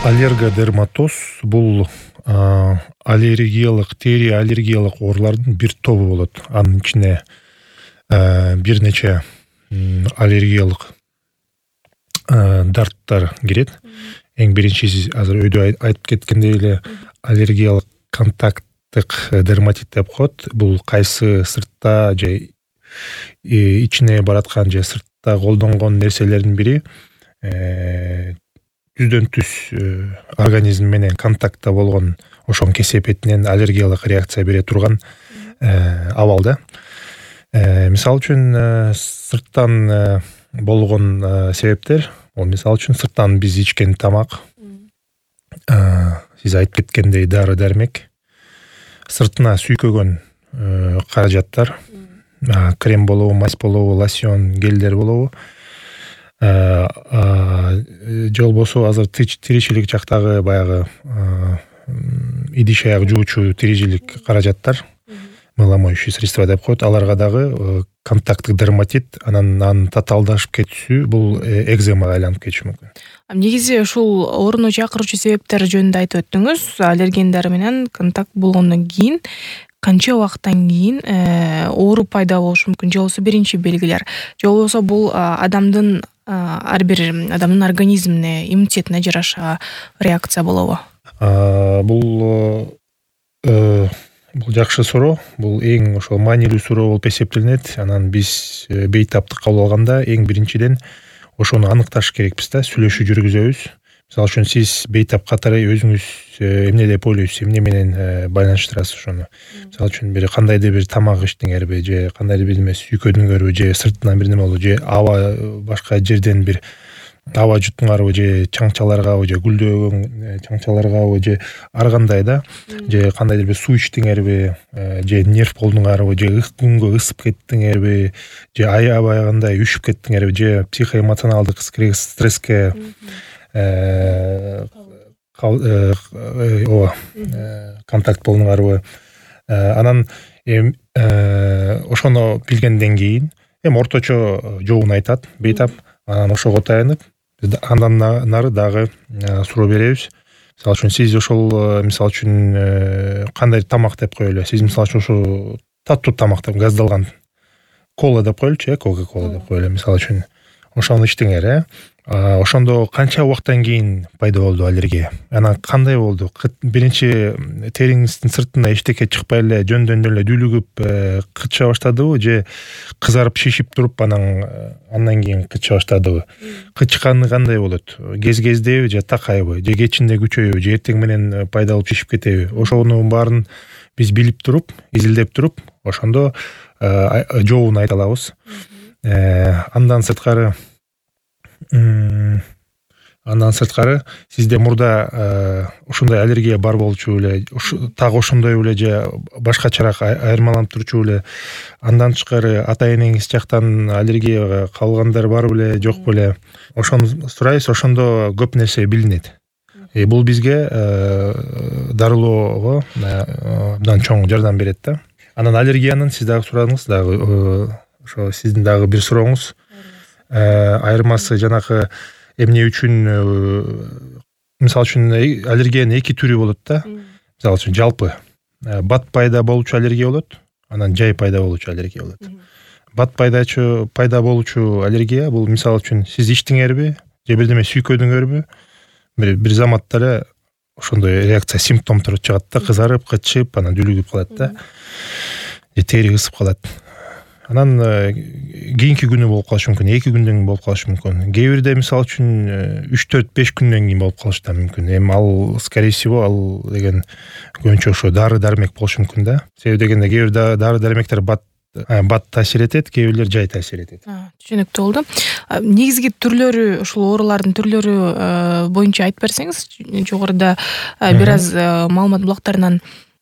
Аллергодерматоз бул аллергиялык, тери аллергиялык оорулардын бир тобу болот. Анын ичине бир нече аллергиялык дарттар кирет. Эң биринчиси азыр өйдө айтып кеткендей эле аллергиялык контакттык дерматит деп коет. Бул кайсы сыртта же ичине бараткан же сыртта колдонгон нерселердин бири жүздөн түз организм менен контактта болгон ошонун кесепетинен аллергиялык реакция бере турган абал да. Мисалы үчүн сырттан болгон себептер, бул мисалы үчүн сырттан биз ичкен тамак, сиз айтып кеткендей дары дармек, сыртына сүйкөгөн каражаттар, крем болобу, мазь болобу, лосьон, гелдер болобу, же болбосо азыр тиричилик жактагы баягы идиш аяк жуучу тиричилик каражаттар, мыломоющие средства деп коет, аларга дагы контакттык дерматит, анан татаалдашып кетүүсү бул экземага айланып кетиши мүмкүн. Негизи ушул ооруну чакыруучу себептер жөнүндө айтып өттүңүз. Аллергендер менен контакт болгондон кийин канча убакыттан кийин оору пайда болушу мүмкүн, же болбосо биринчи белгилер, же болбосо бул адамдын ар бир адамдын организмине, иммунитетине жараша реакция болобу? Бул жакшы суроо. Бул эң ошол маанилүү суроо болуп эсептелинет. Анан биз бейтаптык кабыл алганда эң биринчиден ошону аныкташ керекпиз да, сүйлөшүү жүргүзөбүз. Мисалы үчүн сиз бейтап катары өзүңүз эмне деп ойлойсуз, эмне менен байланыштырасыз ошону? Мисалы үчүн бир кандайдыр бир тамак ичтиңерби, же кандайдыр бир неме сүйкөдүңөрбү, же сыртынан бир неме болду, же аба башка жерден бир аба жуттуңарбы, же чаңчаларгабы, же гүлдөгөн чаңчаларгабы, же ар кандай да, же кандайдыр бир суу ичтиңерби, же нерв болдуңарбы, же күнгө ысып кеттиңерби, же аябагандай үшүп кеттиңерби, же психоэмоционалдык стресске контакт болдуңарбы. Анан ошону билгенден кийин орточо жообун айтат бейтап, анан ошого таянып андан нары дагы суроо беребиз. Мисалы үчүн сиз ошол мисалы үчүн кандай тамак деп коелу, сиз мисалы үчүн ошо таттуу тамак деп газдалган кола деп коелучу, кока-кола деп коелу мисалы үчүн, ошону ичтиңер, ошондо канча убакыттан кийин пайда болду аллергия? Анан кандай болду? Биринчи териңиздин сыртына эчтеке чыкпай эле жөндөн эле дүүлүгүп кыча баштадыбы, же кызарып шишип туруп андан кийин кыча баштадыбы? Кычканы кандай болот? Кез-кездеби же такайбы, же кечинде күчөйбү, же эртең менен пайда болуп шишип кетеби? Ошонун баарын биз билип туруп, изилдеп туруп, ошондо жообун айта алабыз. Андан сырткары сизде мурда ушундай аллергия бар болчу эле, так ошондой эле же башкачараак айырмаланып турчу эле? Андан тышкары ата энеңиз жактан аллергияга калгандар бар беле, жок беле? Ошону сурайбыз, ошондо көп нерсе билинет. Бул бизге дарылоого абдан чоң жардам берет да. Анан аллергиянын сиз дагы сурадыңыз, дагы ошо сиздин дагы бир сурооңуз. Айырмасы жанакы эмне үчүн, мисалы үчүн аллергиянын эки түрү болот да. Мисалы үчүн жалпы бат пайда болуучу аллергия болот, анан жай пайда болуучу аллергия болот. Бат пайда болуучу аллергия бул мисалы үчүн сиз ичтиңерби, же бирдеме сүйкөдүңөрбү, бир заматта эле ошондой реакция, симптомдор чыгат да, кызарып, кычып, анан дүүлүгүп калат да, же тери ысып калат. Анан кийинки күнү болуп калышы мүмкүн, 2 күндөн кийин болуп калышы мүмкүн. Кээ бирде мисалы үчүн 3-4-5 күндөн кийин болуп калышы да мүмкүн. Эми ал скорее всего ал деген көбүнчө ошо дары дармек болушу мүмкүн да. Себеби дегенде кээ бир дары дармектер бат таасир этет, кээ бирлер жай таасир этет. Түшүнүктүү болду. Негизги түрлөрү, ушул оорулардын түрлөрү боюнча айтып берсеңиз, жогоруда бир аз маалымат блоктарынан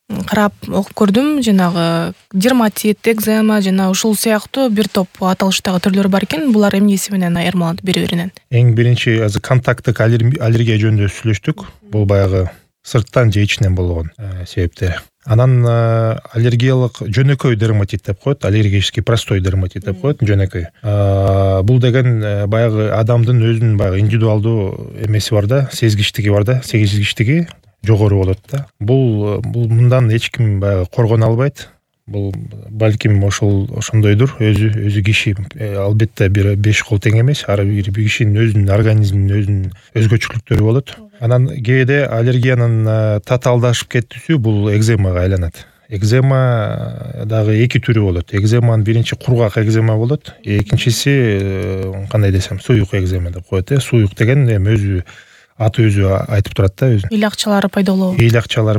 карап окуп көрдүм, жанагы дерматит, экзема жана ушул сыяктуу бир топ аталыштагы түрлөр бар экен. Булар эмнеси менен айырмаланат бири-биринен? Эң биринчи азыр контакттык аллергия жөнүндө сүйлөштүк. Бул баягы сырттан же ичинен болгон себептер. Анан аллергиялык жөнөкөй дерматит деп коет, аллергический простой дерматит деп коет, жөнөкөй. Бул деген баягы адамдын өзүнүн баягы индивидуалдуу эмеси бар да, сезгичтиги бар да, сезгичтиги жогору болот да. Бул мындан эч ким баягы коргоно албайт. Бул балким ошондойдур. Өзү киши албетте бир 5 кол тең эмес. Ар бир кишинин өзүнүн организминин өзүнүн өзгөчөлүктөрү болот. Анан кээде аллергиянын татаалдашып кетүүсү бул экземага айланат. Экзема дагы эки түрү болот. Экземанын биринчи кургак экзема болот. Экинчиси кандай десем, суюк экзема деп коет. Суюк деген эми өзү аты өзү айтып турат да, өзү. Ыйлакчалары пайда болобу? Ыйлакчалар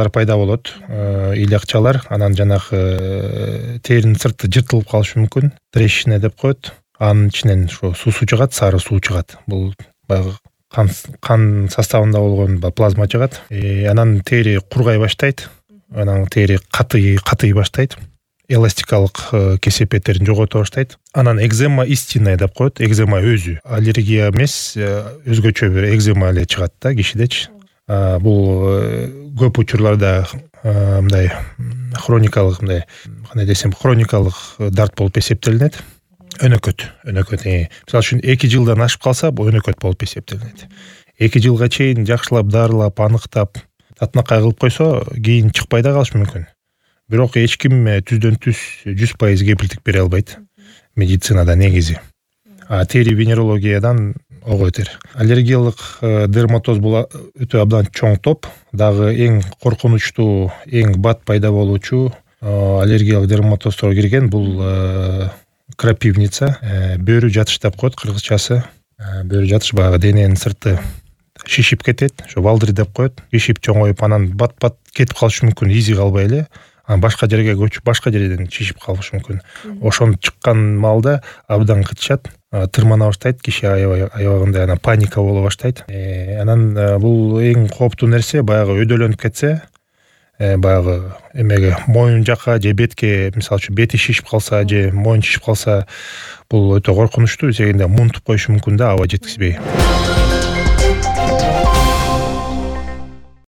пайда болот. Ыйлакчалар анан жанагы теринин сырты жыртылып калышы мүмкүн. Трещина деп коет. Анын ичинен ошо суусу чыгат, сары суу чыгат. Бул баягы кан составында болгон плазма чыгат. Анан тери кургай баштайт. Анан тери катый баштайт. Эластикалык кесепеттерин жогото баштайт. Анан экзема истинная деп коет. Экзема өзү аллергия эмес, өзгөчө бир экзема эле чыгат да кишидечи. Бул көп учурларда мындай хроникалык, мындай кандай десем, хроникалык дарт болуп эсептелинет. Өнөкөт. Мисалы үчүн 2 жылдан ашып калса, бул өнөкөт болуп эсептелинет. 2 жылга чейин жакшылап дарылап, аныктап, татынакай кылып койсо, кийин чыкпай да калышы мүмкүн. Бирок эч ким түздөн түз 100% кепилдик бере албайт медицинада негизи. Тери венерологиядан ого бетер. Аллергиялык дерматоз бул өтө абдан чоң топ. Дагы эң коркунучтуу, эң бат пайда болуучу аллергиялык дерматоздорго кирген бул крапивница, бөрү жатыш деп коет кыргызчасы. Бөрү жатыш баягы дененин сырты шишип кетет, ошо балдыр деп коет. Шишип чоңоюп, анан бат кетип калышы мүмкүн, изи калбай эле. Башка жерге көчүп, башка жерден шишип калышы мүмкүн. Ошону чыккан маалда абдан кытышат, тырмана баштайт, киши аябагандай анан паника боло баштайт. Анан бул эң кооптуу нерсе, баягы өйдөлөнүп кетсе, баягы эмеге моюн жака же бетке, мисалы үчүн бети шишип калса же моюн шишип калса, бул өтө коркунучтуу. Себеби мунтуп коюшу мүмкүн да, аба жеткизбей.